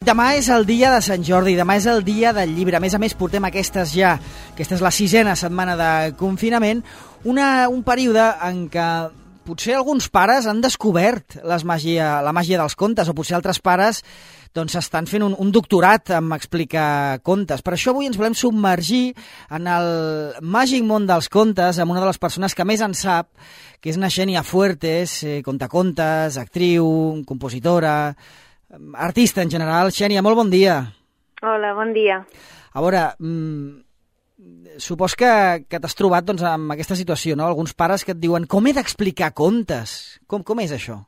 Demà és el dia de Sant Jordi, demà és el dia del llibre. A més, portem aquesta és la 6ª setmana de confinament, un període en què potser alguns pares han descobert la màgia dels contes, o potser altres pares estan fent un doctorat en explicar contes. Per això avui ens volem submergir en el màgic món dels contes amb una de les persones que més en sap, que és Xènia Fuertes, contacontes, actriu, compositora, artista en general. Xènia, molt bon dia. Hola, bon dia. A veure, supos que t'has trobat amb aquesta situació, no? Alguns pares que et diuen com he d'explicar contes? Com és això?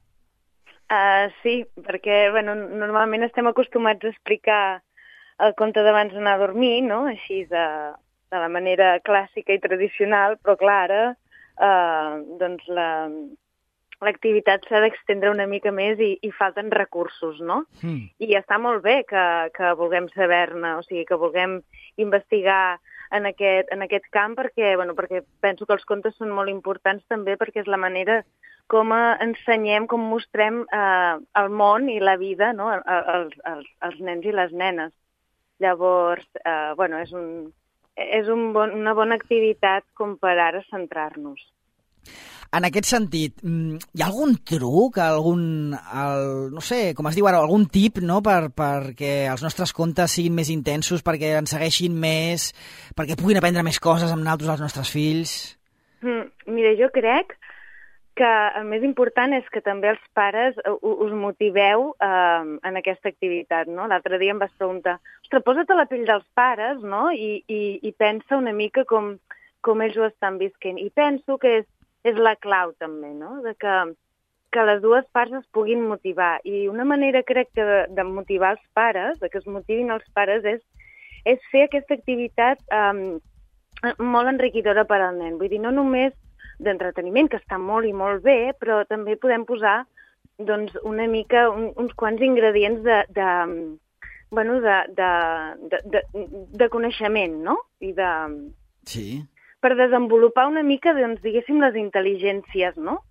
Sí, perquè normalment estem acostumats a explicar el conte d'abans d'anar a dormir, no? Així de la manera clàssica i tradicional, però clar, ara l'activitat s'ha d'extendre una mica més i falten recursos, no? I està molt bé que vulguem saber-ne, o sigui, que vulguem investigar en aquest camp, perquè penso que els contes són molt importants també perquè és la manera com ensenyem, com mostrem el món i la vida, no? als nens i les nenes. Llavors, és una bona activitat com per ara centrar-nos. En aquest sentit, hi ha algun truc, no sé, com es diu ara, algun tip, no?, perquè els nostres contes siguin més intensos, perquè ens segueixin més, perquè puguin aprendre més coses amb nosaltres, els nostres fills? Mira, jo crec que el més important és que també els pares us motiveu en aquesta activitat, no? L'altre dia em vas preguntar, ostres, posa't a la pell dels pares, no?, i pensa una mica com ells ho estan visquent. I penso que és la clau també, no?, de que les dues parts es puguin motivar. I una manera, crec, de motivar els pares, de que es motivin els pares, és fer aquesta activitat molt enriquidora per al nen. Vull dir, no només d'entreteniment, que està molt i molt bé, però també podem posar una mica uns quants ingredients de coneixement, no? Sí. Per desenvolupar una mica, diguéssim, les intel·ligències, no?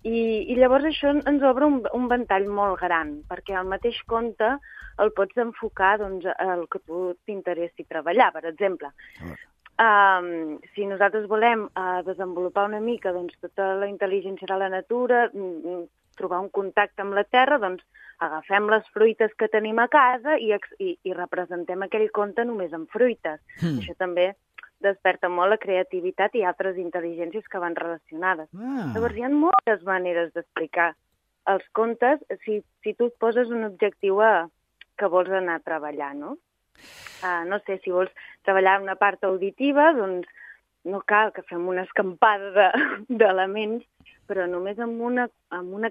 I llavors això ens obre un ventall molt gran, perquè el mateix conte el pots enfocar al que tu t'interessi treballar, per exemple. Si nosaltres volem desenvolupar una mica tota la intel·ligència de la natura, trobar un contacte amb la terra, agafem les fruites que tenim a casa i representem aquell conte només amb fruites. Això també desperta molt la creativitat i altres intel·ligències que van relacionades. Llavors, hi ha moltes maneres d'explicar els contes si tu et poses un objectiu que vols anar a treballar, no? No sé, si vols treballar una part auditiva, no cal que fem una escampada d'elements, però només amb una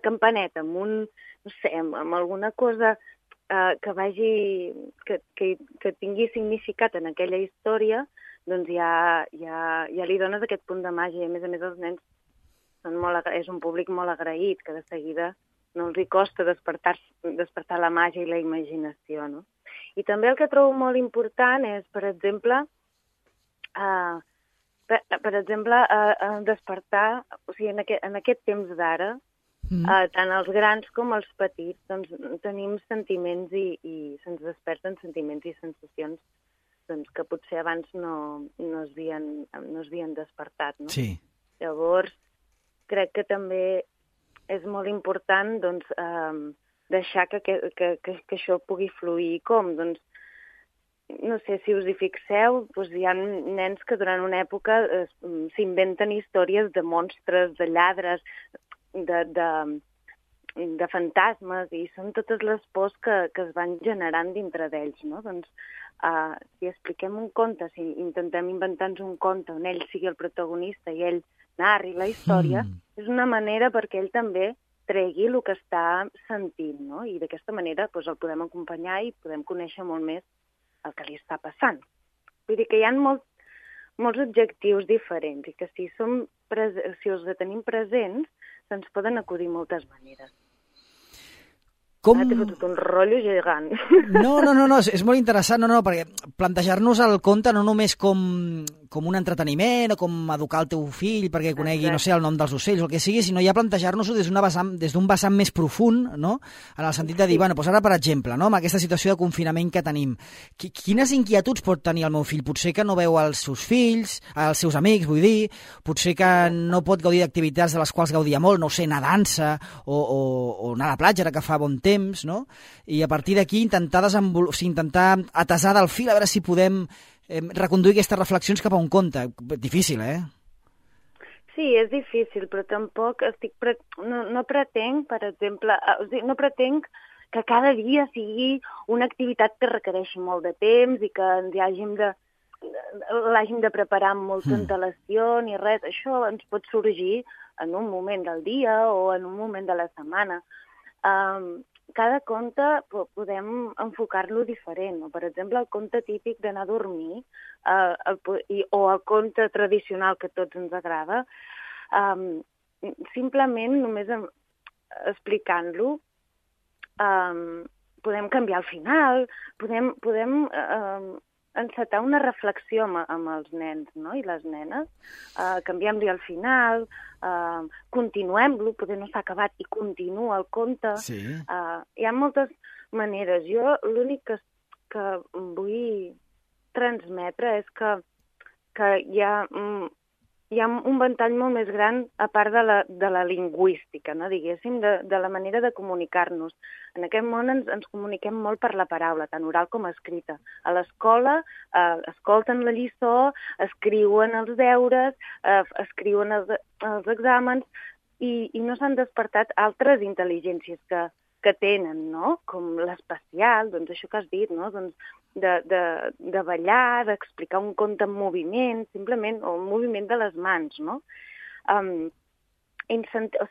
campaneta, amb alguna cosa que tingui significat en aquella història, ja li dones aquest punt de màgia. A més, els nens és un públic molt agraït, que de seguida no els hi costa despertar la màgia i la imaginació, no? I també el que trobo molt important és, per exemple, despertar, o sigui, en aquest temps d'ara, tant els grans com els petits, tenim sentiments i se'ns desperten sentiments i sensacions que potser abans no es havien despertat, no? Sí. Llavors, crec que també és molt important, deixar que això pugui fluir. Com? No sé si us hi fixeu, hi ha nens que durant una època s'inventen històries de monstres, de lladres, de fantasmes, i són totes les pors que es van generant dintre d'ells, no? Si expliquem un conte, si intentem inventar-nos un conte on ell sigui el protagonista i ell narri la història, és una manera perquè ell també tregui el que està sentint, no? I d'aquesta manera el podem acompanyar i podem conèixer molt més el que li està passant. Vull dir que hi ha molts objectius diferents i que si els tenim presents, se'ns poden acudir moltes maneres. Ara t'he fotut un rotllo gegant. No, és molt interessant, perquè plantejar-nos el conte no només com com un entreteniment o com educar el teu fill perquè conegui, no sé, el nom dels ocells o el que sigui, sinó ja plantejar-nos-ho des d'un vessant més profund, no? En el sentit de dir, bueno, doncs ara, per exemple, no? Amb aquesta situació de confinament que tenim, quines inquietuds pot tenir el meu fill? Potser que no veu els seus fills, els seus amics, vull dir, potser que no pot gaudir d'activitats de les quals gaudia molt, no sé, anar a dansa o anar a la platja, ara que fa bon temps, no? I a partir d'aquí intentar atesar del fil, a veure si podem reconduir aquestes reflexions cap a un conte. Difícil, eh? Sí, és difícil, però tampoc no pretenc, per exemple, no pretenc que cada dia sigui una activitat que requereixi molt de temps i que l'hàgim de preparar amb molta antelació ni res. Això ens pot sorgir en un moment del dia o en un moment de la setmana. Cada conte podem enfocar-lo diferent. Per exemple, el conte típic d'anar a dormir o el conte tradicional que a tots ens agrada, simplement només explicant-lo podem canviar el final, podem encetar una reflexió amb els nens, no? I les nenes, canviem-li el final, continuem-lo, potser no s'ha acabat i continua el conte. Sí. Hi ha moltes maneres. Jo l'únic que vull transmetre és que hi ha un ventall molt més gran a part de la lingüística, no? Diguéssim, de la manera de comunicar-nos. En aquest món ens comuniquem molt per la paraula, tant oral com escrita. A l'escola escolten la lliçó, escriuen els deures, escriuen els exàmens i no s'han despertat altres intel·ligències que tenen, no? Com l'especial, doncs això que has dit, no? Doncs de ballar, d'explicar un conte en moviment, simplement, o un moviment de les mans, no? O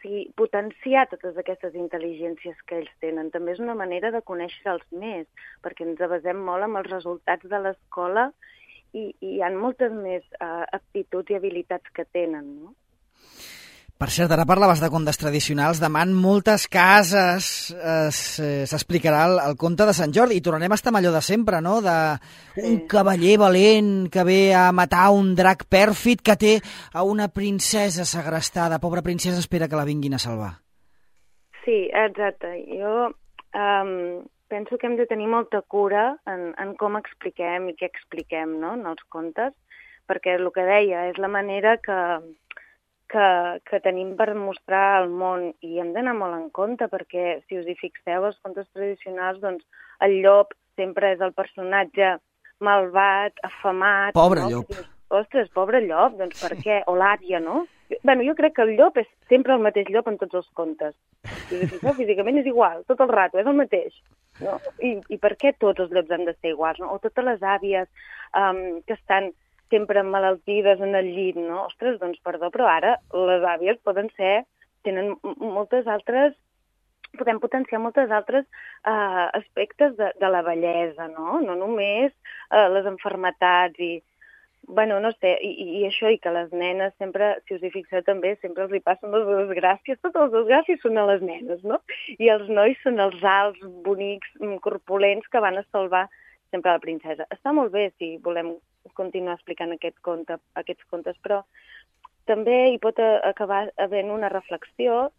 sigui, potenciar totes aquestes intel·ligències que ells tenen també és una manera de conèixer-los més, perquè ens basem molt en els resultats de l'escola i hi ha moltes més aptituds i habilitats que tenen, no? Per cert, ara parlaves de contes tradicionals. Demà en moltes cases s'explicarà el conte de Sant Jordi i tornarem a estar amb allò de sempre, no? Un cavaller valent que ve a matar un drac pèrfid que té a una princesa segrestada. Pobra princesa, espera que la vinguin a salvar. Sí, exacte. Jo penso que hem de tenir molta cura en com expliquem i què expliquem, no? En els contes, perquè el que deia és la manera que tenim per mostrar al món i hem d'anar molt en compte perquè, si us hi fixeu, els contes tradicionals, doncs el llop sempre és el personatge malvat, afamat... Pobre no? llop. Ostres, pobre llop, doncs per què? O l'àvia, no? Bueno, jo crec que el llop és sempre el mateix llop en tots els contes. Si us hi fixeu, físicament és igual, tot el rato, és el mateix. No? I per què tots els llops han de ser iguals? No? O totes les àvies que estan sempre malaltides en el llit, no? Ostres, doncs perdó, però ara les àvies tenen moltes altres, podem potenciar moltes altres aspectes de la bellesa, no? No només les malalties i, bueno, no sé, i això, i que les nenes sempre, si us hi fixeu també, sempre els hi passen les desgràcies, totes les desgràcies són a les nenes, no? I els nois són els alts, bonics, corpulents que van a salvar sempre la princesa. Està molt bé si volem continuar explicant aquests contes, però també hi pot acabar havent una reflexió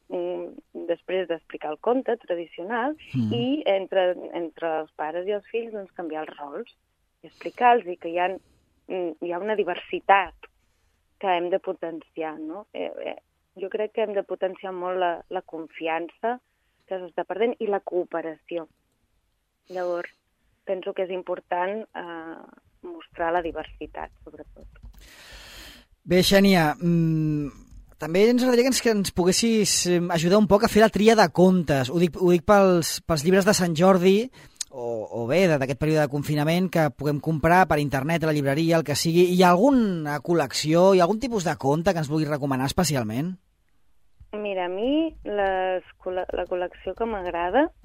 després d'explicar el conte tradicional i entre els pares i els fills doncs, canviar els rols i explicar-los que hi ha una diversitat que hem de potenciar, no? Jo crec que hem de potenciar molt la confiança que s'està perdent i la cooperació. Llavors, penso que és important mostrar la diversitat, sobretot. Bé, Xènia, també ens agradaria que ens poguessis ajudar un poc a fer la tria de contes. Ho dic pels llibres de Sant Jordi, o bé, d'aquest període de confinament, que puguem comprar per internet, a la llibreria, el que sigui. Hi ha alguna col·lecció, hi ha algun tipus de conte que ens vulguis recomanar especialment? Mira, a mi la col·lecció que m'agrada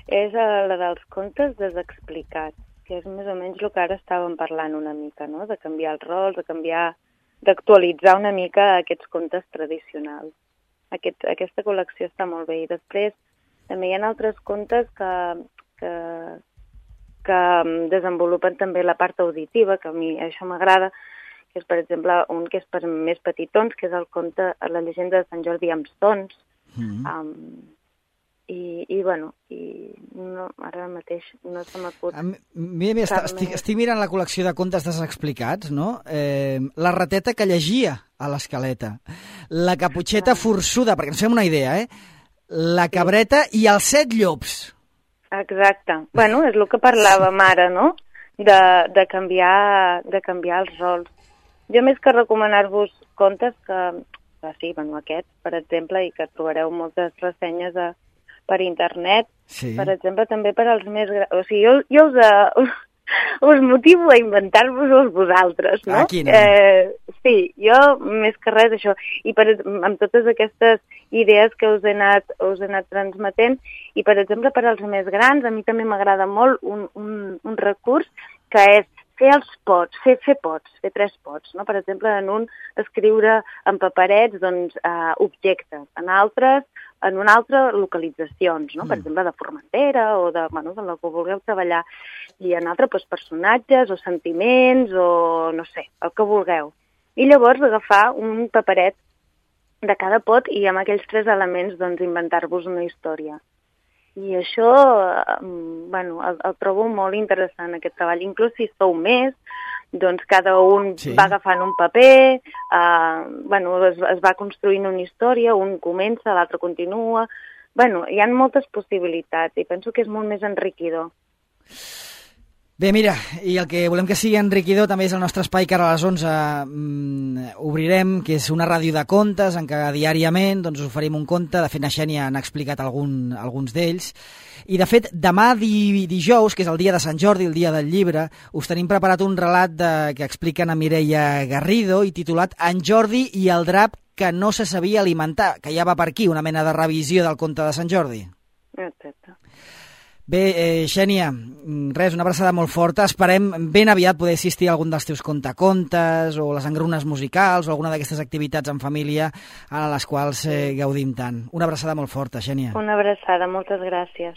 és la dels contes desexplicats, que és més o menys el que ara estàvem parlant una mica, no? De canviar els rols, d'actualitzar una mica aquests contes tradicionals. Aquesta col·lecció està molt bé. I després també hi ha altres contes que desenvolupen també la part auditiva, que a mi això m'agrada, que és, per exemple, un que és per més petitons, que és el conte La llegenda de Sant Jordi amb sons. Bueno, no, ara mateix no se m'acut. Mira, estic mirant la col·lecció de contes desexplicats, no? La rateta que llegia a l'escaleta, la caputxeta forçuda, perquè ens fem una idea, la cabreta i els 7 llops. Exacte. Bueno, és el que parlàvem ara, no? De canviar els rols. Jo, més que recomanar-vos contes sí, bueno, aquest, per exemple, i que trobareu moltes ressenyes per internet, sí. Per exemple, també per als més grans. O sigui, jo us motivo a inventar-vos-els vosaltres, no? Aquí no. Sí, jo més que res això. I amb totes aquestes idees que us he anat transmetent, i per exemple, per als més grans, a mi també m'agrada molt un recurs que és fer els pots, fer pots, fer 3 pots, no? Per exemple, en un escriure en paperets objectes, en un altre localitzacions, no? Per exemple, de Formentera o de la que vulgueu treballar, i en altre personatges o sentiments o no sé, el que vulgueu. I llavors agafar un paperet de cada pot i amb aquells 3 elements inventar-vos una història. I això, el trobo molt interessant, aquest treball. Inclús si sou més, cada un va agafant un paper, es va construint una història, un comença, l'altre continua. Hi ha moltes possibilitats i penso que és molt més enriquidor. Bé, mira, i el que volem que sigui enriquidor també és el nostre espai que ara a les 11 obrirem, que és una ràdio de contes en què diàriament us oferim un conte. De fet, na Xènia n'ha explicat alguns d'ells. I, de fet, demà dijous, que és el dia de Sant Jordi, el dia del llibre, us tenim preparat un relat que explica na Mireia Garrido i titulat En Jordi i el drap que no se sabia alimentar, que ja va per aquí, una mena de revisió del conte de Sant Jordi. Exacte. Bé, Xènia, una abraçada molt forta. Esperem ben aviat poder assistir a algun dels teus contacontes o les engrunes musicals o alguna d'aquestes activitats en família a les quals gaudim tant. Una abraçada molt forta, Xènia. Una abraçada, moltes gràcies.